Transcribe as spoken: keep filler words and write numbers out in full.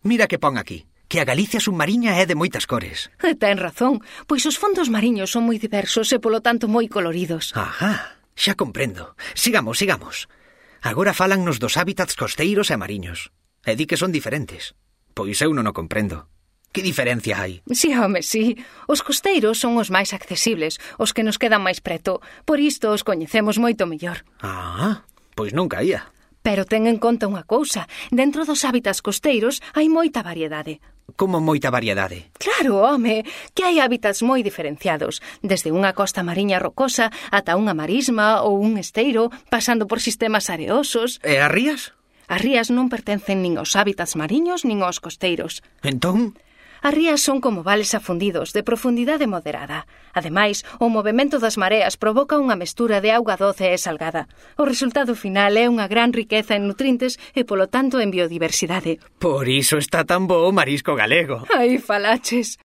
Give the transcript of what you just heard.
Mira que pon aquí, que a Galicia submarina é de moitas cores. Ten razón, pois os fondos mariños son moi diversos e polo tanto moi coloridos. Ajá, xa comprendo. Sigamos, sigamos. Agora fálannos dos hábitats costeiros e mariños. E di que son diferentes. Pois eu non o comprendo. Que diferencia hai? Si, home, si. Os costeiros son os máis accesibles, os que nos quedan máis preto. Por isto os coñecemos moito mellor. Ah, pois non caía. Pero ten en conta unha cousa. Dentro dos hábitats costeiros hai moita variedade. Como moita variedade? Claro, home, que hai hábitats moi diferenciados. Desde unha costa mariña rocosa ata unha marisma ou un esteiro, pasando por sistemas areosos. E as rías? As rías non pertencen nin aos hábitats mariños nin aos costeiros. Entón? As rías son como vales afundidos, de profundidade moderada. Ademais, o movemento das mareas provoca unha mestura de auga doce e salgada. O resultado final é unha gran riqueza en nutrientes e, polo tanto, en biodiversidade. Por iso está tan bo o marisco galego. Aí falaches.